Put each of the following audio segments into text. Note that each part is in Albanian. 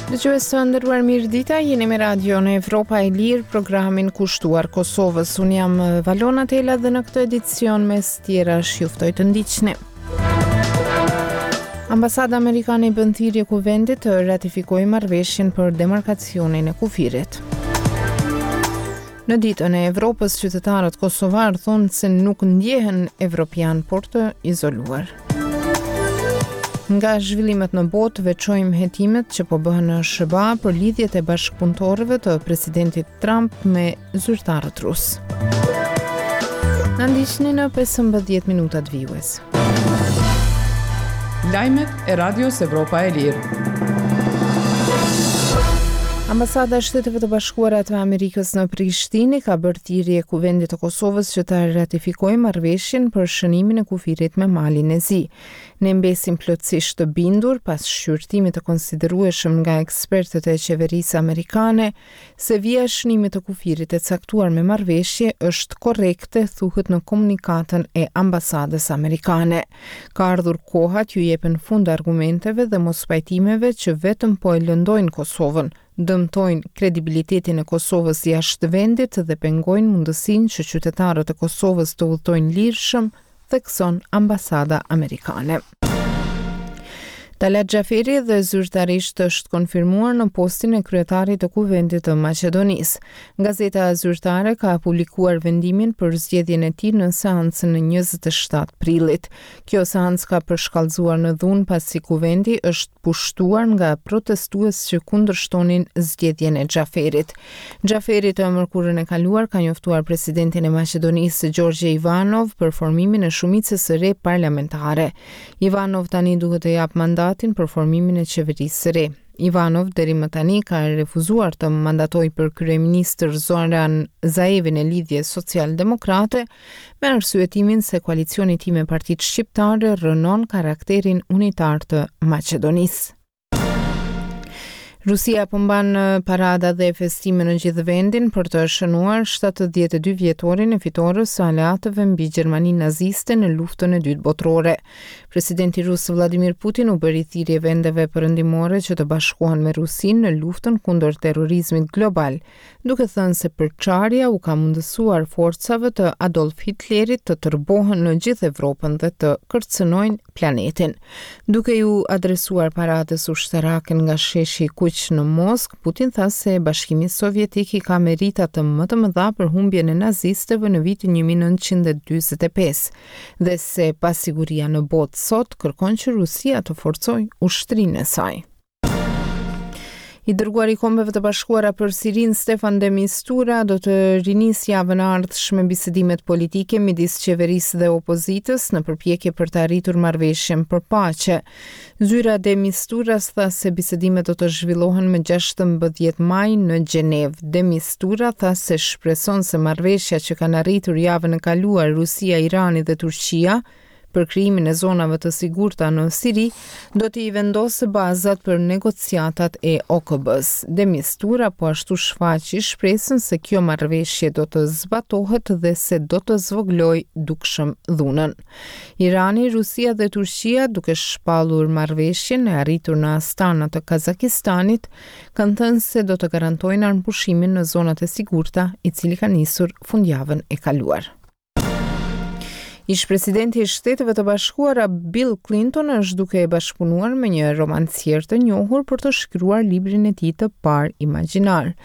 Dëgjues të nderuar mirëdita, jeni me Radion Evropa e Lirë, programin kushtuar Kosovës. Unë jam Valona Tela dhe në këtë edicion mes tjerash ju ftoj të ndiqni. Ambasada amerikane i bën thirrje Kuvendit të ratifikojë marrëveshjen për demarkacionin e kufirit. Në ditën e Evropës, qytetarët kosovarë thonë se nuk ndjehen evropianë, por të izoluar. Nga zhvillimet në botë, veçojmë hetimet që po bëhen në SHBA për lidhjet e bashkëpunëtorëve të presidentit Trump me zyrtarët rusë. Na ndiqni në 15 minutat vijuese. Lajmet e Radios Evropa e Lirë. Ambasada e Shteteve të Bashkuara të Amerikës në Prishtinë i ka bërë thirrje Kuvendit të Kosovës që ta ratifikojë marrëveshjen për shënimin e kufirit me Malin e Zi. Ne mbesim plotësisht të bindur pas shqyrtimit të konsiderueshëm nga ekspertët e qeverisë amerikane se vija e shënimit të kufirit e caktuar me marrëveshje është korrekte, thuhet në komunikatën e ambasadës amerikane. Ka ardhur koha t'ju jepen fund argumenteve dhe mospajtimeve që vetëm po e lëndojnë Kosovën, dëmtojnë kredibilitetin e Kosovës jashtë vendit dhe pengojnë mundësinë që qytetarët e Kosovës të udhëtojnë lirshëm thekson ambasada amerikane. Talat Xhaferi dhe zyrtarisht është konfirmuar në postin e kryetarit të Kuvendit të Maqedonisë. Gazeta zyrtare ka publikuar vendimin për zgjedhjen e tij në seancën e 27 prillit. Kjo seancë ka përshkallëzuar në dhunë pasi Kuvendi është pushtuar nga protestues që kundërshtonin zgjedhjen e Xhaferit. Xhaferi të mërkurën e kaluar ka njoftuar presidentin e Maqedonisë Gjorgje Ivanov për formimin e shumicës së re parlamentare. Ivanov tani duhet të japë mandatin për formimin e qeverisë së re. Ivanov deri më tani ka refuzuar të mandatojë për kryeministër Zoran Zaevin e Lidhjes Social-Demokrate, me arsyetimin se koalicioni i tij me partitë shqiptare rrënon karakterin unitar të Maqedonisë. Rusia po mban parada dhe festime në gjithë vendin për të shënuar 72 vjetorin e fitores së aleatëve mbi Gjermaninë naziste në luftën e dytë botërore. Presidenti rus Vladimir Putin u bëri thirrje vendeve perëndimore që të bashkohen me Rusinë në luftën kundër terrorizmit global, duke thënë se përçarja u ka mundësuar forcave të Adolf Hitlerit të tërbohen në gjithë Evropën dhe të kërcënojnë planetin. Duke iu adresuar paradës ushtarake nga Sheshi i Kuq në Moskë, Putin tha se Bashkimi Sovjetik i ka meritat më të mëdha për humbjen e nazistëve në vitin 1945 dhe se pasiguria në botë sot kërkon që Rusia të forcojë ushtrinë e saj. I dërguari i Kombeve të Bashkuara për Sirinë, Stefan de Mistura, do të rinisë javën e ardhshme bisedimet politike midis qeverisë dhe opozitës në përpjekje për të arritur marrëveshjen për paqe. Zyra e de Misturas tha se bisedimet do të zhvillohen më 16 maj në Gjenevë. De Mistura tha se shpreson se marrëveshja që kanë arritur javën e kaluar Rusia, Irani dhe Turqia për krijimin e zonave të sigurta në Siri, do t'i vendosë bazat për negociatat e OKB-së. De Mistura po ashtu shfaqi shpresën se kjo marrëveshje do të zbatohet dhe se do të zvogëlojë dukshëm dhunën. Irani, Rusia dhe Turqia, duke shpallur marrëveshjen e arritur në Astana të Kazakistanit, kanë thënë se do të garantojnë armëpushimin në zonat e sigurta, i cili ka nisur fundjavën e kaluar. Ish-presidenti i Shteteve të Bashkuara Bill Clinton është duke bashkëpunuar me një romancier të njohur për të shkruar librin e tij të parë imagjinar.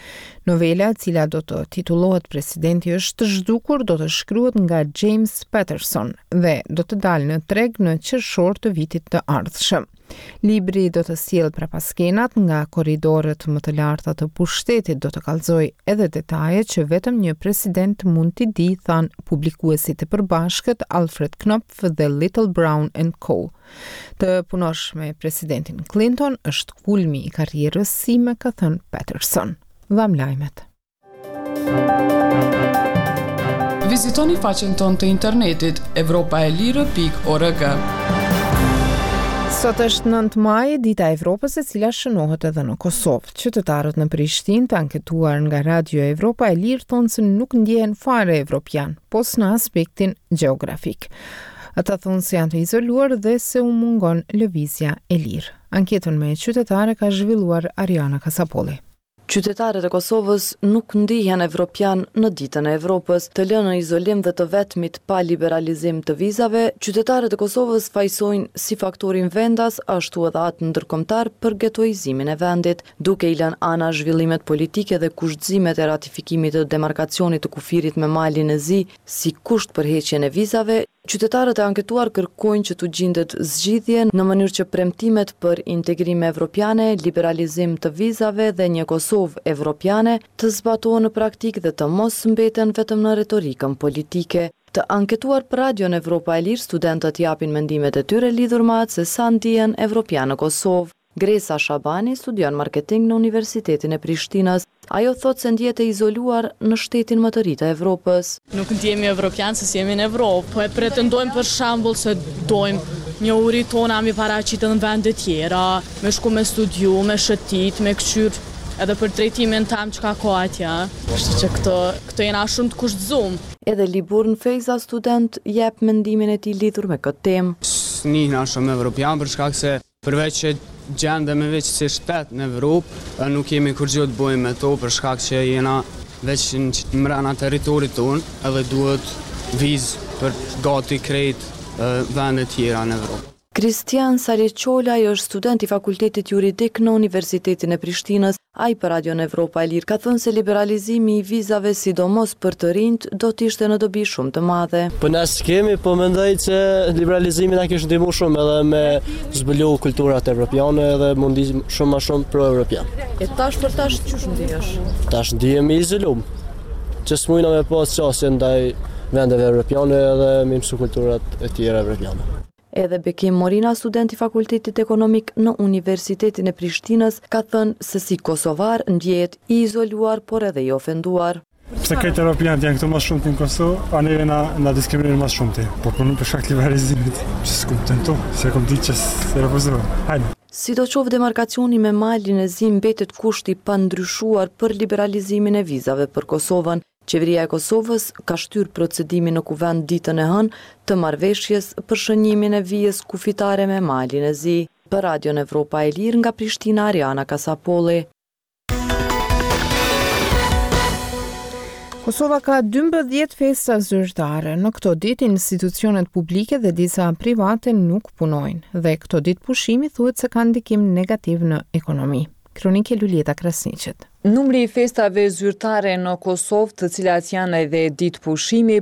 Novela, e cila do të titullohet Presidenti është zhdukur, do të shkruhet nga James Patterson dhe do të dalë në treg në qershor të vitit të ardhshëm. Libri do të sjellë prapaskenat nga korridoret më të larta të pushtetit, do të kallëzojë edhe detaje që vetëm një president mund t'i dijë, thanë publikuesit e përbashkët Alfred Knopf dhe Little Brown and Co. Të punosh me presidentin Clinton është kulmi i karrierës sime, ka thënë Patterson. Dhamë lajmet. Vizitoni faqen tonë të internetit evropaelire.org. Sot është 9 maj, dita e Evropës e cila shënohet edhe në Kosovë. Qytetarët në Prishtinë të anketuar nga Radio Evropa e Lirë thonë se nuk ndjehen fare evropian, pos në aspektin gjeografik. Ata thonë se janë të izoluar dhe se u mungon lëvizja e lirë. Anketën me qytetarë e ka zhvilluar Ariana Kasapolli. Qytetarët e Kosovës nuk ndihen evropianë në Ditën e Evropës. Të lënë në izolim dhe të vetmit pa liberalizim të vizave, qytetarët e Kosovës fajësojnë si faktorin vendas ashtu edhe atë ndërkombëtar për getoizimin e vendit, duke i lënë anash zhvillimet politike dhe kushtëzimet e ratifikimit të demarkacionit të kufirit me Malin e Zi si kusht për heqjen e vizave, Qytetarët e anketuar kërkojnë që t'u gjindet zgjidhje në mënyrë që premtimet për integrime evropiane, liberalizim të vizave dhe një Kosovë evropiane të zbatohen në praktikë dhe të mos mbeten vetëm në retorikën politike. Të anketuar për Radion Evropa e Lirë, studentët japin mendimet e tyre lidhur me atë se sa ndihen evropianë në Kosovë. Gresa Shabani studion marketing në Universitetin e Prishtinës. Ajo thotë se ndihet e izoluar në shtetin më të ri të Evropës. Nuk ndihemi evropian se s'jemi në Evropë, po e pretendojmë për shembull se dojmë njohuri tona mi paraqit edhe në vende tjera, me shku me studiu, me shëtit, me kqyr edhe për drejtimin tem çka ka atje, kështu që këto këto jena shumë të kushtëzum. Edhe Liburn Fejza student jep mendimin e tij lidhur me këtë temë. S'nihna shumë evropian për shkak se Përveç që gjendemi veç si shtet në Evropë, nuk kemi kurgjë të bojmë me to për shkak që jena veç mrena territorit tonë edhe duhet vizë për gati krejt vendet tjera në Evropë. Kristian Saliqolaj është student i Fakultetit Juridik në Universitetin e Prishtinës. Ai për Radion Evropa e Lirë ka thënë se liberalizimi i vizave sidomos për të rinjtë do të ishte në dobi shumë të madhe. Po na s'kemi, po mendoj që liberalizimi na kish ndihmu shumë edhe me zbulu kulturat evropiane edhe m'u ndi shumë ma shumë pro-evropian. E tash për tash qysh ndihesh? Tash ndihem i izolum, që s'mujna me pas qasje ndaj vendeve evropiane edhe me mësu kulturat e tjera evropiane. Edhe Bekim Morina, student i Fakultetit Ekonomik në Universitetin e Prishtinës, ka thënë se si kosovar ndjehet i izoluar por edhe i ofenduar. Pse krejt europianët janë këtu ma shumti në Kosovë, a neve na, na diskriminojnë ma shumti. Po për për shkak të liberalizimit, që s'kum tentu, se kom ditë që s'e refuzojnë. Hajde. Sidoqoftë demarkacioni me Malin e Zi mbetet kusht i pandryshuar për liberalizimin e vizave për Kosovën. Qeveria e Kosovës ka shtyrë procedimin në Kuvend ditën e hënë të marrëveshjes për shënjimin e vijës kufitare me Malin e Zi. Për Radion Evropa e Lirë nga Prishtina Ariana Kasapolli. Kosova ka 12 festa zyrtare. Në këto ditë institucionet publike dhe disa private nuk punojnë dhe këto ditë pushimi thuhet se kanë ndikim negativ në ekonomi. Kronikë e Luljeta Krasniqit. Numri i festave zyrtare në Kosovë, të cilat janë edhe ditë pushimi,